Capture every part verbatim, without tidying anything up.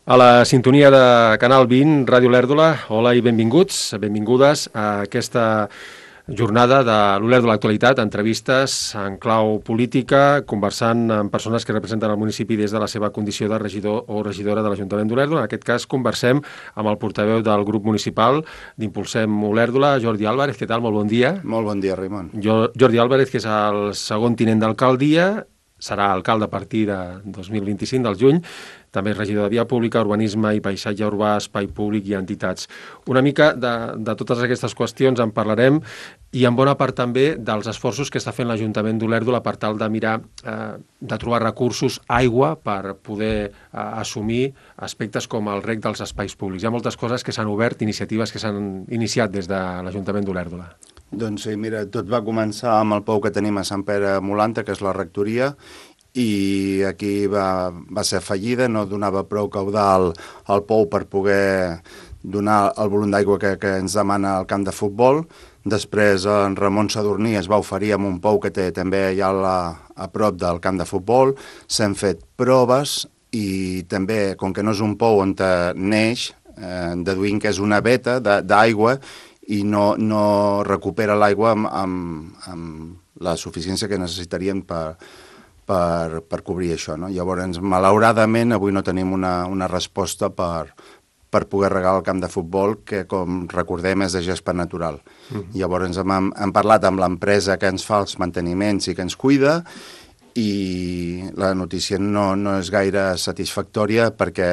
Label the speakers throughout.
Speaker 1: A la sintonia de Canal vint, Ràdio Olèrdola, hola i benvinguts, benvingudes a aquesta jornada de l'Olèrdola Actualitat, entrevistes en clau política, conversant amb persones que representen el municipi des de la seva condició de regidor o regidora de l'Ajuntament d'Olèrdola. En aquest cas conversem amb el portaveu del grup municipal d'Impulsem Olèrdola, Jordi Álvarez. Què tal? Molt bon dia.
Speaker 2: Molt bon dia, Raimon.
Speaker 1: Jo, Jordi Álvarez, que és el segon tinent d'alcaldia, serà alcalde a partir de dos mil vint-i-cinc, del juny, també és regidor de Via Pública, Urbanisme i Paisatge Urbà, Espai Públic i Entitats. Una mica de, de totes aquestes qüestions en parlarem i en bona part també dels esforços que està fent l'Ajuntament d'Olèrdola per tal de mirar, eh, de trobar recursos, aigua, per poder eh, assumir aspectes com el reg dels espais públics. Hi ha moltes coses que s'han obert, iniciatives que s'han iniciat des de l'Ajuntament d'Olèrdola.
Speaker 2: Doncs sí, mira, tot va començar amb el pou que tenim a Sant Pere Molanta, que és la rectoria, i aquí va, va ser fallida, no donava prou caudal al pou per poder donar el volum d'aigua que, que ens demana el camp de futbol. Després en Ramon Sadurní es va oferir amb un pou que té també allà a, a prop del camp de futbol. S'han fet proves i també, com que no és un pou on neix, eh, deduïm que és una veta d'aigua i no, no recupera l'aigua amb, amb, amb la suficiència que necessitaríem per, per, per cobrir això, no? Llavors, malauradament, avui no tenim una, una resposta per, per poder regar el camp de futbol, que, com recordem, és de gespa natural. Mm-hmm. Llavors, hem, hem parlat amb l'empresa que ens fa els manteniments i que ens cuida, i la notícia no, no és gaire satisfactòria perquè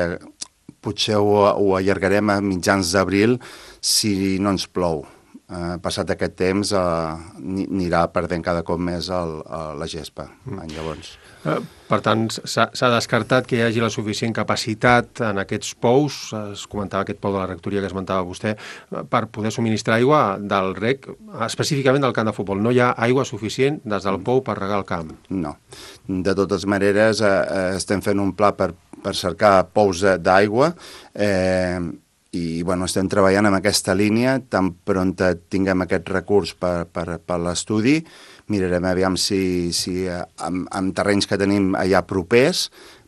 Speaker 2: potser ho, ho allargarem a mitjans d'abril si no ens plou. Eh, passat aquest temps eh, anirà perdent cada cop més el, el, la gespa. Mm. Llavors.
Speaker 1: Eh, per tant, s'ha descartat que hi hagi la suficient capacitat en aquests pous, es comentava aquest pou de la rectoria que esmentava vostè, per poder subministrar aigua del reg, específicament del camp de futbol. No hi ha aigua suficient des del pou per regar el camp?
Speaker 2: No. De totes maneres, eh, estem fent un pla per, per cercar pous d'aigua, eh, i bueno, estem treballant en aquesta línia. Tan pront tinguem aquest recurs per, per, per l'estudi, mirarem aviam si, si amb, amb terrenys que tenim allà propers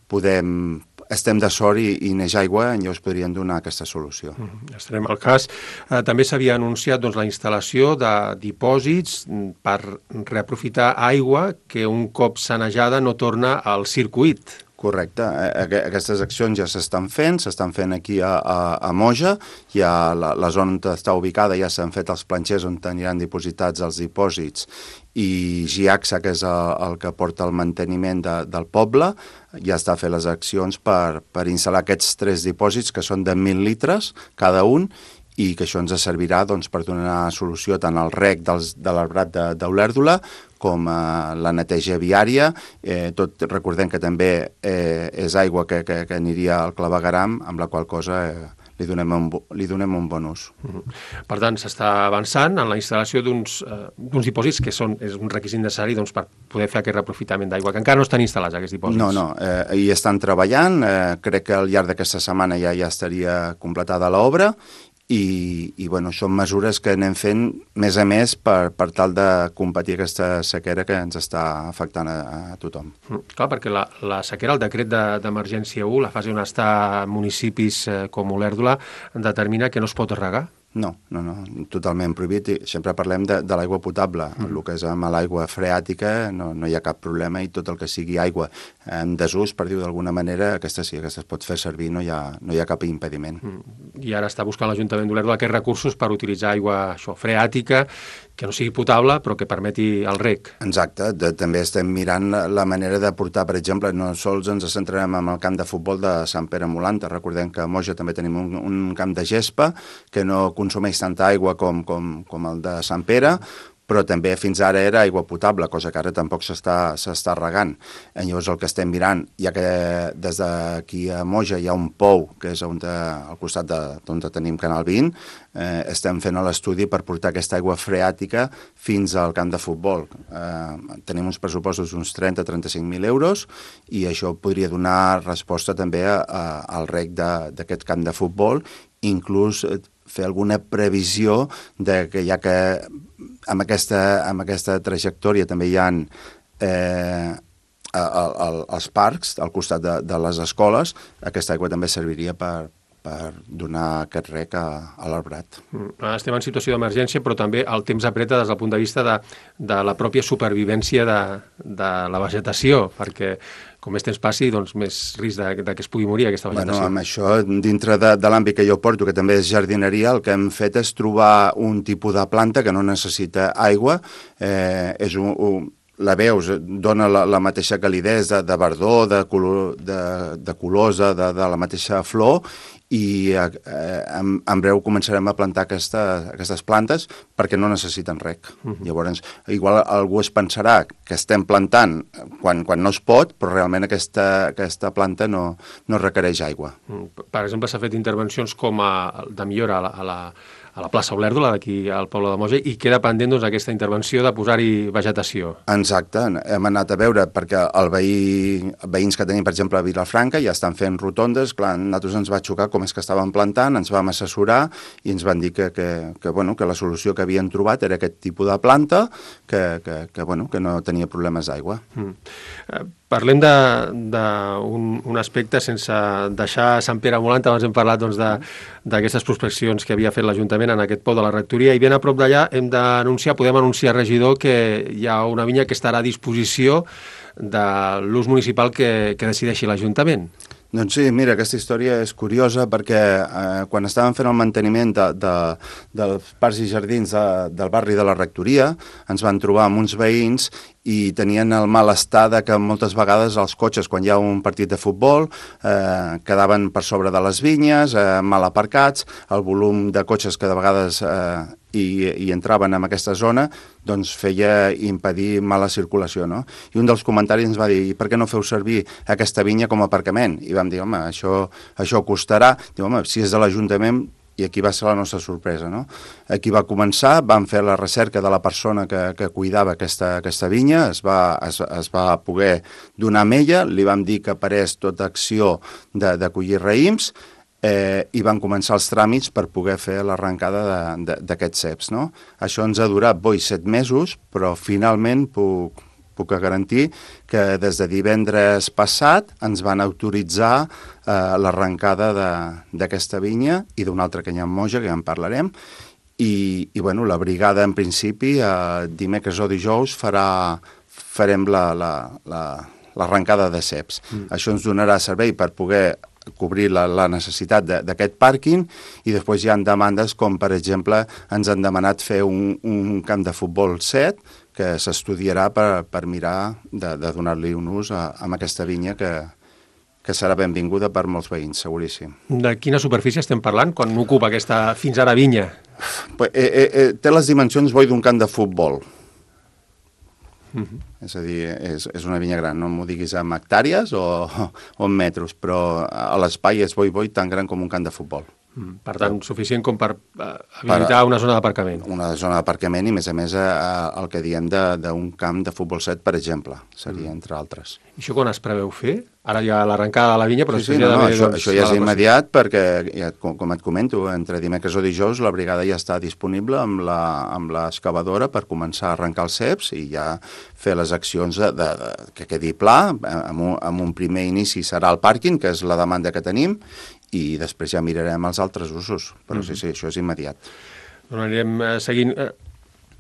Speaker 2: podem, estem de sort i, i neix aigua, i llavors podrien donar aquesta solució.
Speaker 1: Mm, estarem al cas. Eh, també s'havia anunciat doncs, la instal·lació de dipòsits per reaprofitar aigua que un cop sanejada no torna al circuit.
Speaker 2: Correcte. Aquestes accions ja s'estan fent, s'estan fent aquí a, a, a Moja, ja la, la zona on està ubicada ja s'han fet els planxers on aniran dipositats els dipòsits, i GIACSA, que és el, el que porta el manteniment de, del poble, ja està fent les accions per, per instal·lar aquests tres dipòsits, que són de mil litres cada un, i que això ens servirà doncs, per donar solució tant al reg dels, de l'arbrat d'Olèrdola com a la neteja viària. Eh, tot recordem que també eh, és aigua que, que, que aniria al clavegueram, amb la qual cosa eh, li, donem un, li donem un bon ús.
Speaker 1: Uh-huh. Per tant, s'està avançant en la instal·lació d'uns eh, dipòsits que són, és un requisit necessari doncs, per poder fer aquest reaprofitament d'aigua, que encara no estan instal·lats aquests dipòsits.
Speaker 2: No, no, eh, hi estan treballant, eh, crec que al llarg d'aquesta setmana ja, ja estaria completada l'obra, i, i bueno, són mesures que anem fent més a més per, per tal de combatir aquesta sequera que ens està afectant a, a tothom.
Speaker 1: Mm, clar, perquè la, la sequera, el decret d'emergència de, u, la fase on està municipis eh, com Olèrdola, determina que no es pot regar?
Speaker 2: No, no, no, totalment prohibit. I sempre parlem de, de l'aigua potable. Mm. El que és amb l'aigua freàtica no, no hi ha cap problema, i tot el que sigui aigua en desús, per dir-ho d'alguna manera, aquesta sí, aquesta es pot fer servir, no hi ha, no hi ha cap impediment.
Speaker 1: Mm. I ara està buscant l'Ajuntament d'Olèrdola aquests recursos per utilitzar aigua això, freàtica, que no sigui potable, però que permeti el reg.
Speaker 2: Exacte. De, també estem mirant la, la manera de portar, per exemple, no sols ens centrarem en el camp de futbol de Sant Pere Molanta. Recordem que a Moja també tenim un, un camp de gespa que no consumeix tanta aigua com, com, com el de Sant Pere, però també fins ara era aigua potable, cosa que ara tampoc s'està regant. I llavors el que estem mirant, ja que des d'aquí a Moja hi ha un pou, que és on, al costat d'on tenim Canal vint, eh, estem fent l'estudi per portar aquesta aigua freàtica fins al camp de futbol. Eh, tenim uns pressupostos d'uns trenta a trenta-cinc mil euros, i això podria donar resposta també a, a, al reg d'aquest camp de futbol, inclús fer alguna previsió de que ja que amb aquesta, amb aquesta trajectòria també hi ha eh, a, a, als parcs, al costat de, de les escoles, aquesta aigua també serviria per, per donar aquest rec a, a l'arbrat.
Speaker 1: Estem en situació d'emergència, però també el temps apreta des del punt de vista de, de la pròpia supervivència de, de la vegetació, perquè com més temps passi, doncs més risc de, de que es pugui morir aquesta vegetació.
Speaker 2: Bueno, amb això, dintre de, de l'àmbit que jo porto, que també és jardineria, el que hem fet és trobar un tipus de planta que no necessita aigua, eh, és un, un la veus, dona la, la mateixa calidesa de, de verdor, de, color, de, de colosa, de, de la mateixa flor, i eh, en, en breu començarem a plantar aquesta, aquestes plantes perquè no necessiten rec. Uh-huh. Llavors, igual algú es pensarà que estem plantant quan, quan no es pot, però realment aquesta, aquesta planta no, no requereix aigua.
Speaker 1: Per exemple, s'ha fet intervencions com a, de millora a la, a la a la plaça Olèrdola, d'aquí al poble de Moja, i queda pendent doncs, aquesta intervenció de posar-hi vegetació.
Speaker 2: Exacte, hem anat a veure, perquè el veí, veïns que tenim, per exemple, a Vilafranca, ja estan fent rotondes, clar, a nosaltres ens va xocar com és que estaven plantant, ens vam assessorar i ens van dir que, que, que, bueno, que la solució que havien trobat era aquest tipus de planta, que, que, que, bueno, que no tenia problemes d'aigua.
Speaker 1: Mm. Uh, Parlem d'un un, un aspecte sense deixar Sant Pere Molant. Abans hem parlat doncs, d'aquestes prospeccions que havia fet l'Ajuntament en aquest pou de la rectoria, i ben a prop d'allà hem d'anunciar, podem anunciar, regidor, que hi ha una vinya que estarà a disposició de l'ús municipal que, que decideixi l'Ajuntament.
Speaker 2: Doncs sí, mira, aquesta història és curiosa perquè eh, quan estàvem fent el manteniment de, de, dels parcs i jardins de, del barri de la rectoria, ens van trobar amb uns veïns i tenien el malestar de que moltes vegades els cotxes, quan hi ha un partit de futbol, eh, quedaven per sobre de les vinyes, eh, mal aparcats, el volum de cotxes que de vegades eh, hi, hi entraven en aquesta zona, doncs feia impedir mala circulació, no? I un dels comentaris ens va dir, per què no feu servir aquesta vinya com a aparcament? I vam dir, home, això, això costarà. Diu, home, si és de l'Ajuntament, i aquí va ser la nostra sorpresa, no? Aquí va començar, vam fer la recerca de la persona que, que cuidava aquesta, aquesta vinya, es va, es, es va poder donar amb ella, li vam dir que parés tota acció de, de collir raïms, eh, i van començar els tràmits per poder fer l'arrencada d'aquests ceps, no? Això ens ha durat, boi, set mesos, però finalment puc... puc garantir que des de divendres passat ens van autoritzar eh, l'arrencada d'aquesta vinya i d'una altra que hi ha a Moja, que ja en parlarem, i, i bueno, la brigada en principi eh, dimecres o dijous farà, farem l'arrencada la, la, de ceps. Mm. Això ens donarà servei per poder cobrir la, la necessitat d'aquest pàrquing, i després hi ha demandes com, per exemple, ens han demanat fer un, un camp de futbol set que s'estudiarà per, per mirar de, de donar-li un ús a, a aquesta vinya que, que serà benvinguda per molts veïns, seguríssim.
Speaker 1: De quina superfície estem parlant quan ocupa aquesta fins ara vinya?
Speaker 2: Eh, eh, eh, té les dimensions, boi, d'un camp de futbol. Uh-huh. És a dir, és, és una vinya gran, no m'ho diguis en hectàrees o, o en metres, però a l'espai és boi, boi, tan gran com un camp de futbol.
Speaker 1: Mm, per tant, suficient com per uh, habilitar per, una zona d'aparcament.
Speaker 2: Una zona d'aparcament i, a més a més, a, a, el que diem d'un camp de futbol set, per exemple, seria, mm. entre altres.
Speaker 1: I això quan es preveu fer? Ara hi ha l'arrencada de la vinya, però...
Speaker 2: Sí, sí, no, no, això, doncs, això ja és immediat perquè, ja, com, com et comento, entre dimecres o dijous la brigada ja està disponible amb l'excavadora per començar a arrencar els ceps i ja fer les accions de, de, de, que quedi pla. Amb un, amb un primer inici serà el pàrquing, que és la demanda que tenim, i després ja mirarem els altres usos. Però mm-hmm. sí, sí, això és immediat.
Speaker 1: Doncs anirem eh, seguint... Eh...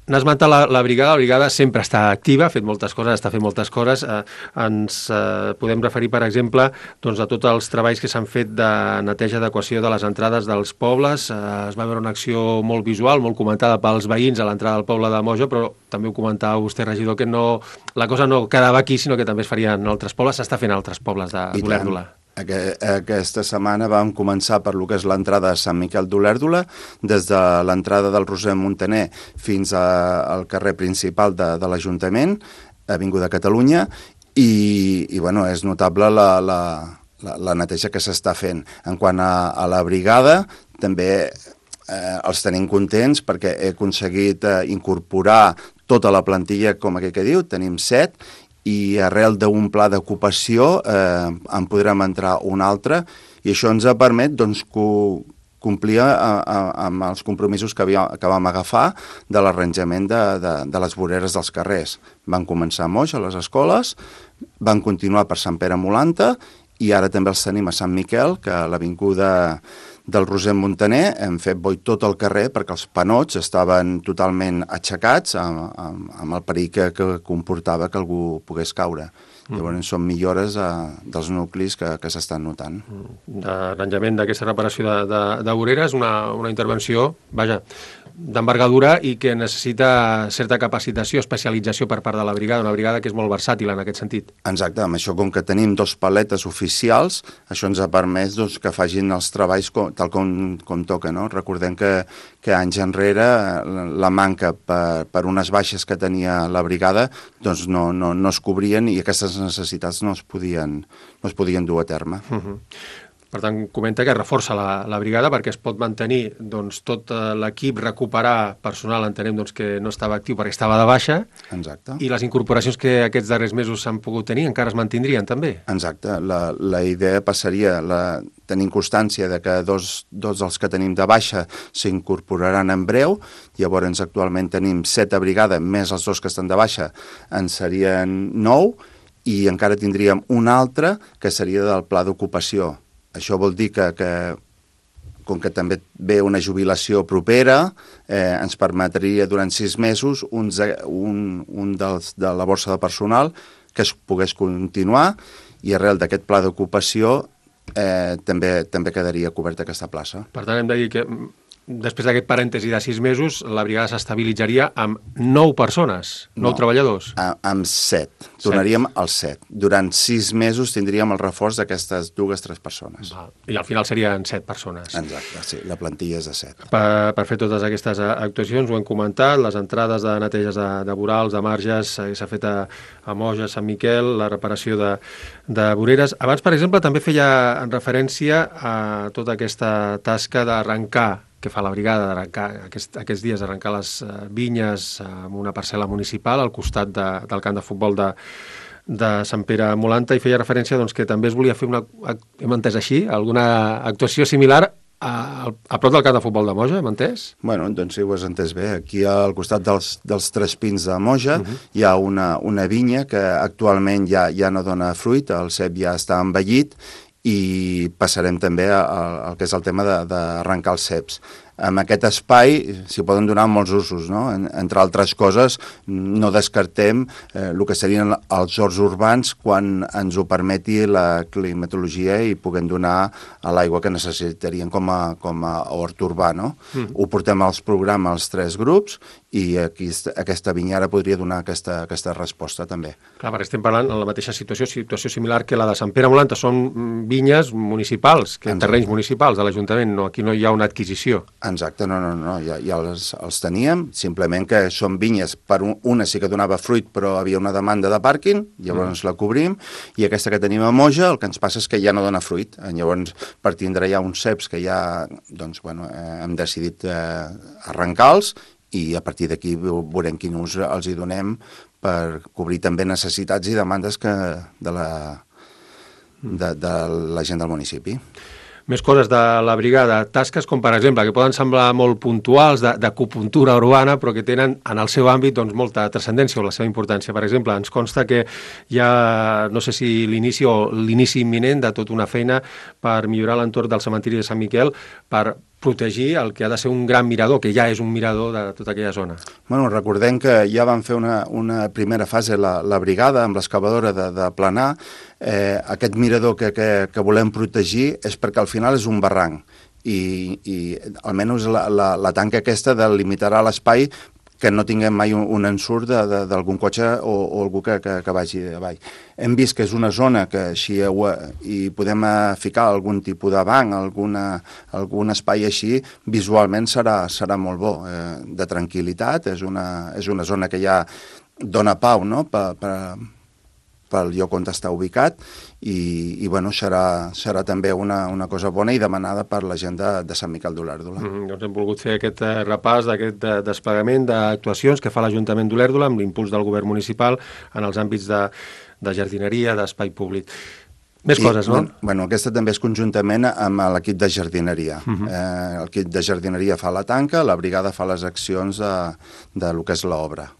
Speaker 1: N'has esmentat la, la brigada, la brigada sempre està activa, ha fet moltes coses, està fent moltes coses. Eh, ens eh, podem referir, per exemple, doncs, a tots els treballs que s'han fet de neteja d'adequació de les entrades dels pobles. Eh, es va veure una acció molt visual, molt comentada pels veïns a l'entrada del poble de Moja, però també ho comentava vostè, regidor, que no, la cosa no quedava aquí, sinó que també es faria en altres pobles. S'està fent en altres pobles d'Olèrdola.
Speaker 2: Aquesta setmana vam començar per lo que és l'entrada de Sant Miquel d'Olèrdola, des de l'entrada del Roser Montaner fins a, al carrer principal de, de l'Ajuntament, Avinguda Catalunya, i, i bueno, és notable la, la, la, la neteja que s'està fent. En quant a, a la brigada, també eh, els tenim contents perquè he aconseguit eh, incorporar tota la plantilla, com aquell que diu, tenim set, i arrel d'un pla d'ocupació eh, en podrem entrar un altre, i això ens ha permet doncs, co complia a, a, amb els compromisos que, havia, que vam agafar de l'arranjament de, de, de les voreres dels carrers. Van començar a Moix, a les escoles, van continuar per Sant Pere Molanta i ara també els tenim a Sant Miquel, que a l'avinguda del Roser Montaner hem fet boi tot el carrer perquè els panots estaven totalment aixecats amb, amb, amb el perill que, que comportava que algú pogués caure. Mm. Llavors són millores eh, dels nuclis que, que s'estan notant.
Speaker 1: L'arranjament d'aquesta reparació de, de, de voreres, una, una intervenció, vaja, d'envergadura i que necessita certa capacitació, especialització per part de la brigada, una brigada que és molt versàtil en aquest sentit.
Speaker 2: Exacte, amb això com que tenim dos paletes oficials, això ens ha permès doncs, que facin els treballs com, tal com, com toca, no? Recordem que, que anys enrere la manca per, per unes baixes que tenia la brigada doncs no, no, no es cobrien i aquestes necessitats no es podien, no es podien dur a terme.
Speaker 1: Uh-huh. Per tant, comenta que reforça la, la brigada perquè es pot mantenir doncs, tot l'equip, recuperar personal, entenem doncs, que no estava actiu perquè estava de baixa.
Speaker 2: Exacte.
Speaker 1: I les incorporacions que aquests darrers mesos s'han pogut tenir encara es mantindrien també.
Speaker 2: Exacte. La, la idea passaria, la, tenint constància de que dos, dos dels que tenim de baixa s'incorporaran en breu, llavors actualment tenim set a brigada, més els dos que estan de baixa, en serien nou, i encara tindríem un altre que seria del pla d'ocupació. Això vol dir que, que com que també ve una jubilació propera, eh, ens permetria durant sis mesos uns, un, un dels, de la borsa de personal que es pogués continuar i arrel d'aquest pla d'ocupació eh, també, també quedaria coberta aquesta plaça.
Speaker 1: Per tant, hem de dir que després d'aquest parèntesi de sis mesos, la brigada s'estabilitzaria amb nou persones, nou no, treballadors.
Speaker 2: A, amb set. Tornaríem als set. Durant sis mesos tindríem el reforç d'aquestes dues, tres persones.
Speaker 1: Va. I al final serien set persones.
Speaker 2: Exacte, sí. La plantilla és de set.
Speaker 1: Per, per fer totes aquestes actuacions, ho hem comentat, les entrades de neteges de, de vorals, de marges, s'ha fet a, a Moja, a Sant Miquel, la reparació de, de voreres. Abans, per exemple, també feia en referència a tota aquesta tasca d'arrencar que fa la brigada d'arrencar aquest, aquests dies, arrencar les uh, vinyes uh, amb una parcel·la municipal al costat de, del camp de futbol de, de Sant Pere Molanta, i feia referència doncs, que també es volia fer una, hem entès així, alguna actuació similar a, a prop del camp de futbol de Moja, hem entès?
Speaker 2: Bueno, doncs sí, ho has entès bé. Aquí al costat dels, dels Tres Pins de Moja uh-huh. hi ha una, una vinya que actualment ja, ja no dona fruit, el cep ja està envellit, i passarem també al que és el tema d'arrencar els ceps. En aquest espai s'hi poden donar molts usos, no? En, entre altres coses, no descartem eh, el que serien els horts urbans quan ens ho permeti la climatologia i puguem donar a l'aigua que necessitaríem com a, com a hort urbà, no? Mm. Ho portem als programes als tres grups i aquí, aquesta vinyara podria donar aquesta, aquesta resposta també.
Speaker 1: Clar, perquè estem parlant en la mateixa situació, situació similar que la de Sant Pere Molanta, són vinyes municipals, que terrenys municipals de l'Ajuntament, no, aquí no hi ha una adquisició.
Speaker 2: Exacte, no, no, no, ja, ja els, els teníem, simplement que són vinyes, per un, una sí que donava fruit, però havia una demanda de pàrquing, llavors mm. la cobrim, i aquesta que tenim a Moja, el que ens passa és que ja no dona fruit, llavors per tindre ja uns ceps que ja, doncs, bueno, eh, hem decidit eh, arrencar-los, i a partir d'aquí veurem quin ús els hi donem per cobrir també necessitats i demandes que de la, de, de la gent del municipi.
Speaker 1: Més coses de la brigada, tasques com per exemple, que poden semblar molt puntuals, d'acupuntura urbana, però que tenen en el seu àmbit doncs, molta transcendència o la seva importància. Per exemple, ens consta que hi ha, no sé si l'inici o l'inici imminent de tota una feina per millorar l'entorn del cementiri de Sant Miquel, per protegir el que ha de ser un gran mirador, que ja és un mirador de tota aquella zona.
Speaker 2: Bueno, recordem que ja van fer una, una primera fase la, la brigada amb l'excavadora de, de planar. Eh, aquest mirador que, que, que volem protegir és perquè al final és un barranc i, i almenys la, la, la tanca aquesta delimitarà l'espai que no tinguem mai un, un ensurt d'algun cotxe o, o algú que, que, que vagi avall. Hem vist que és una zona que així hi podem ficar algun tipus de banc, alguna, algun espai així, visualment serà, serà molt bo, eh, de tranquil·litat, és una, és una zona que ja dona pau, no?, per, per, pel lloc on està ubicat i, i bueno, serà, serà també una, una cosa bona i demanada per la gent de, de Sant Miquel d'Olèrdola.
Speaker 1: Mm, doncs hem volgut fer aquest eh, repàs d'aquest eh, desplegament d'actuacions que fa l'Ajuntament d'Olèrdola amb l'impuls del govern municipal en els àmbits de, de jardineria, d'espai públic. Més
Speaker 2: I,
Speaker 1: coses, no?
Speaker 2: Bueno, aquesta també és conjuntament amb l'equip de jardineria. Uh -huh. eh, l'equip de jardineria fa la tanca, la brigada fa les accions de, de lo que és l'obra.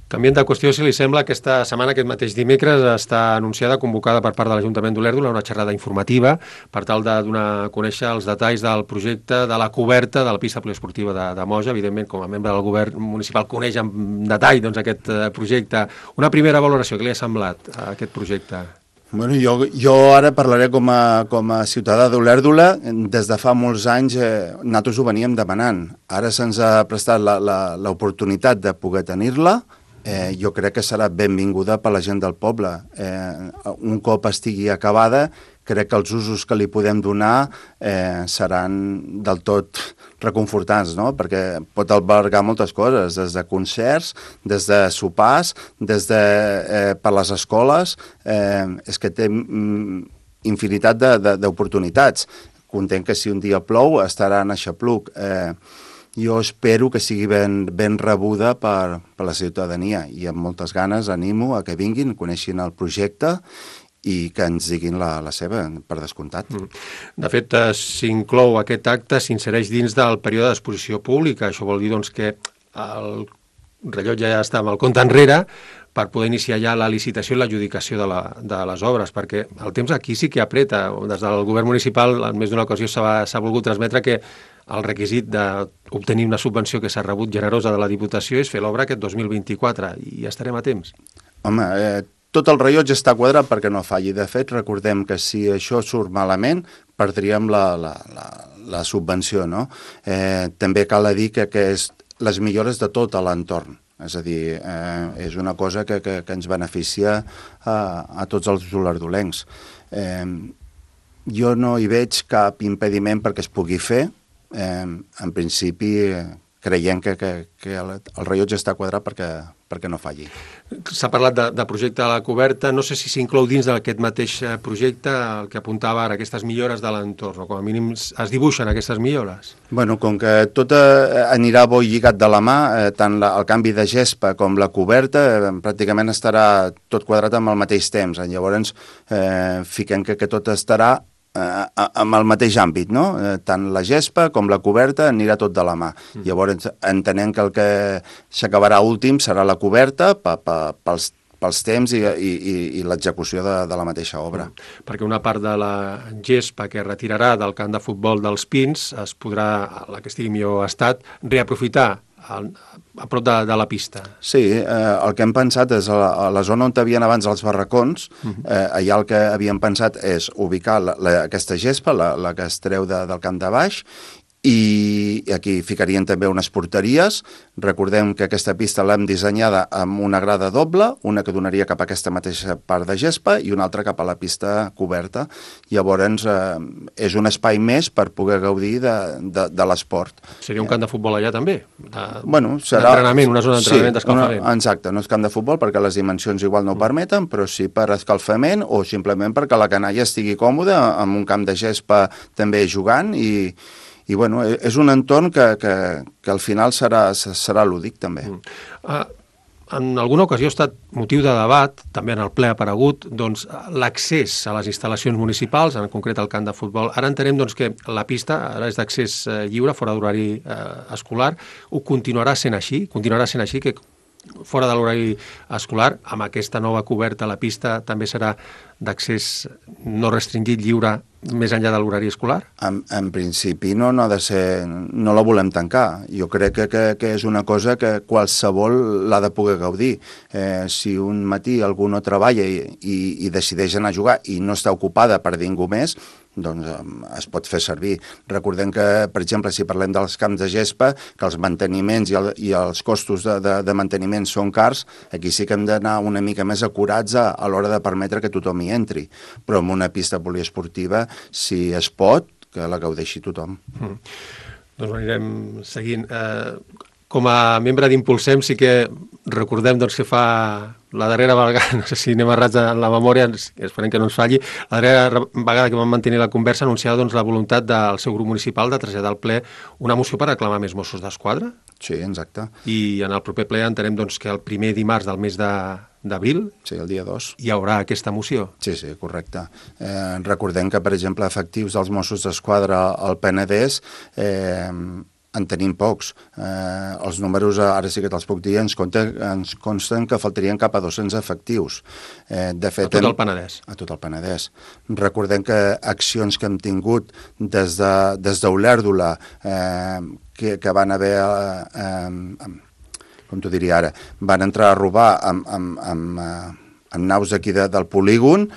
Speaker 1: Canviant de qüestió, si li sembla, aquesta setmana, aquest mateix dimecres, està anunciada, convocada per part de l'Ajuntament d'Olèrdola, una xerrada informativa per tal de donar a conèixer els detalls del projecte de la coberta de la pista poliesportiva de, de Moja. Evidentment, com a membre del govern municipal, coneix en detall doncs, aquest projecte. Una primera valoració, què li ha semblat a aquest projecte?
Speaker 2: Bueno, jo, jo ara parlaré com a, com a ciutadà d'Olèrdola. Des de fa molts anys eh, nosaltres ho veníem demanant. Ara se'ns ha prestat l'oportunitat de poder tenir-la. Eh, jo crec que serà benvinguda per la gent del poble. Eh, un cop estigui acabada, crec que els usos que li podem donar eh, seran del tot reconfortants, no? Perquè pot albergar moltes coses, des de concerts, des de sopars, des de eh, per les escoles. Eh, és que té mm, infinitat d'oportunitats. Content que si un dia plou estarà en aixapluc. Eh, Jo espero que sigui ben, ben rebuda per, per la ciutadania i amb moltes ganes animo a que vinguin, coneixin el projecte i que ens diguin la, la seva, per descomptat.
Speaker 1: De fet, eh, s'inclou aquest acte, s'insereix dins del període d'exposició pública. Això vol dir doncs, que el rellotge ja està amb el compte enrere per poder iniciar ja la licitació i l'adjudicació de, la, de les obres, perquè el temps aquí sí que apreta. Des del govern municipal, en més d'una ocasió, s'ha volgut transmetre que el requisit d'obtenir una subvenció que s'ha rebut generosa de la Diputació és fer l'obra aquest dos mil vint-i-quatre, i ja estarem a temps.
Speaker 2: Home, eh, tot el rellotge està quadrat perquè no falli. De fet, recordem que si això surt malament, perdríem la, la, la, la subvenció, no? Eh, també cal dir que, que és les millores de tot l'entorn. És a dir, eh, és una cosa que, que, que ens beneficia a, a tots els olerdolencs. Eh, jo no hi veig cap impediment perquè es pugui fer. Eh, en principi creiem que, que, que el, el rellotge està quadrat perquè, perquè no falli.
Speaker 1: S'ha parlat de, de projecte a la coberta, no sé si s'inclou dins d'aquest mateix projecte el que apuntava ara, aquestes millores de l'entorn, o com a mínim es dibuixen aquestes millores.
Speaker 2: Bueno, com que tot eh, anirà bo lligat de la mà, eh, tant la, el canvi de gespa com la coberta eh, pràcticament estarà tot quadrat amb el mateix temps. Llavors eh, fiquem que, que tot estarà Eh, amb el mateix àmbit, no? Eh, tant la gespa com la coberta anirà tot de la mà. Mm. Llavors entenem que el que s'acabarà últim serà la coberta pa, pa, pels, pels temps i, i, i l'execució de, de la mateixa obra.
Speaker 1: Mm. Perquè una part de la gespa que retirarà del camp de futbol dels Pins es podrà, la que estigui millor estat, reaprofitar a, a prop de, de la pista.
Speaker 2: Sí, eh, el que hem pensat és a la, a la zona on havien abans els barracons, eh, allà el que havíem pensat és ubicar la, la, aquesta gespa, la, la que es treu de, del camp de baix, i aquí ficarien també unes porteries. Recordem que aquesta pista l'hem dissenyada amb una grada doble, una que donaria cap a aquesta mateixa part de gespa i una altra cap a la pista coberta. Llavors eh, és un espai més per poder gaudir de, de, de l'esport.
Speaker 1: Seria un camp de futbol allà també? De,
Speaker 2: bueno, serà...
Speaker 1: D'entrenament, una zona d'entrenament, sí, d'escalfament.
Speaker 2: Una, exacte, no és camp de futbol perquè les dimensions igual no ho permeten, però sí per escalfament o simplement perquè la canalla estigui còmoda amb un camp de gespa també jugant i I bueno, és un entorn que, que, que al final serà, serà lúdic també. Mm.
Speaker 1: Uh, en alguna ocasió ha estat motiu de debat, també en el ple ha aparegut, doncs, l'accés a les instal·lacions municipals, en concret al camp de futbol. Ara entenem doncs, que la pista ara és d'accés eh, lliure, fora d'horari eh, escolar. Ho continuarà sent així? Continuarà sent així que fora de l'horari escolar, amb aquesta nova coberta a la pista també serà d'accés no restringit, lliure, més enllà de l'horari escolar?
Speaker 2: En, en principi no, no ha de ser, no la volem tancar. Jo crec que, que, que és una cosa que qualsevol l'ha de poder gaudir. Eh, si un matí algú no treballa i, i, i decideix anar a jugar i no està ocupada per ningú més, doncs es pot fer servir. Recordem que, per exemple, si parlem dels camps de gespa, que els manteniments i, el, i els costos de, de, de manteniment són cars, aquí sí que hem d'anar una mica més acurats a, a l'hora de permetre que tothom hi entri. Però en una pista poliesportiva, si es pot, que la gaudeixi tothom.
Speaker 1: Mm. Doncs ho anirem seguint. Eh, com a membre d'Impulsem sí que recordem doncs, que fa la darrera vegada, no sé si anem errats en la memòria, esperem que no ens falli, la darrera vegada que vam mantenir la conversa anunciava doncs, la voluntat del seu grup municipal de traslladar al ple una moció per reclamar més Mossos d'Esquadra.
Speaker 2: Sí, exacte.
Speaker 1: I en el proper ple entenem doncs, que el primer dimarts del mes de d'abril
Speaker 2: sí, el dia dos.
Speaker 1: Hi haurà aquesta moció.
Speaker 2: Sí, sí, correcte. Eh, recordem que, per exemple, efectius dels Mossos d'Esquadra al Penedès eh, en tenim pocs. Eh, els números, ara sí que te'ls puc dir, ens, compte, ens consten que faltarien cap a dos-cents efectius. Eh, de fet,
Speaker 1: a tot el Penedès.
Speaker 2: A tot el Penedès. Recordem que accions que hem tingut des de, des d'Olèrdola, eh, que, que van haver... Eh, eh, com t'ho diria ara, van entrar a robar amb, amb, amb, amb naus d'aquí de, del polígon,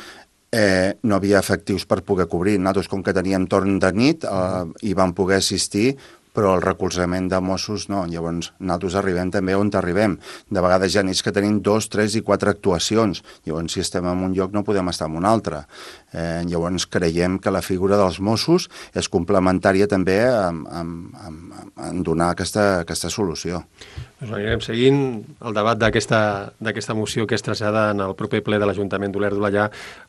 Speaker 2: eh, no havia efectius per poder cobrir. Nosaltres, com que teníem torn de nit, eh, hi vam poder assistir, però el recolzament de Mossos no. Llavors, nosaltres arribem també on arribem. De vegades ja nits que tenim dos, tres i quatre actuacions. Llavors, si estem en un lloc no podem estar en un altre. Eh, llavors, creiem que la figura dels Mossos és complementària també en, en, en, en donar aquesta, aquesta solució.
Speaker 1: Doncs anirem seguint el debat d'aquesta moció que es trasllada en el proper ple de l'Ajuntament d'Olèrdola ja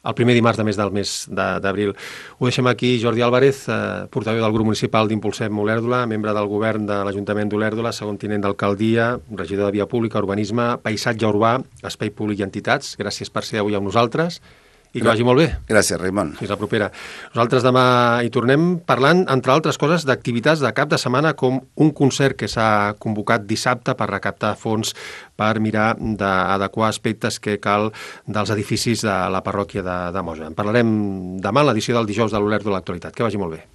Speaker 1: el primer dimarts de mes del mes d'abril. Ho deixem aquí. Jordi Álvarez, eh, portaveu del grup municipal d'Impulsem Olèrdola, membre del govern de l'Ajuntament d'Olèrdola, segon tinent d'alcaldia, regidor de Via Pública, Urbanisme, Paisatge Urbà, Espai Públic i Entitats. Gràcies per ser avui amb nosaltres. I que vagi molt bé.
Speaker 2: Gràcies, Raimon.
Speaker 1: Fins la propera. Nosaltres demà hi tornem parlant, entre altres coses, d'activitats de cap de setmana com un concert que s'ha convocat dissabte per recaptar fons per mirar d'adequar aspectes que cal dels edificis de la parròquia de, de Moja. En parlarem demà a l'edició del dijous de l'Olèrdola de l'Actualitat. Que vagi molt bé.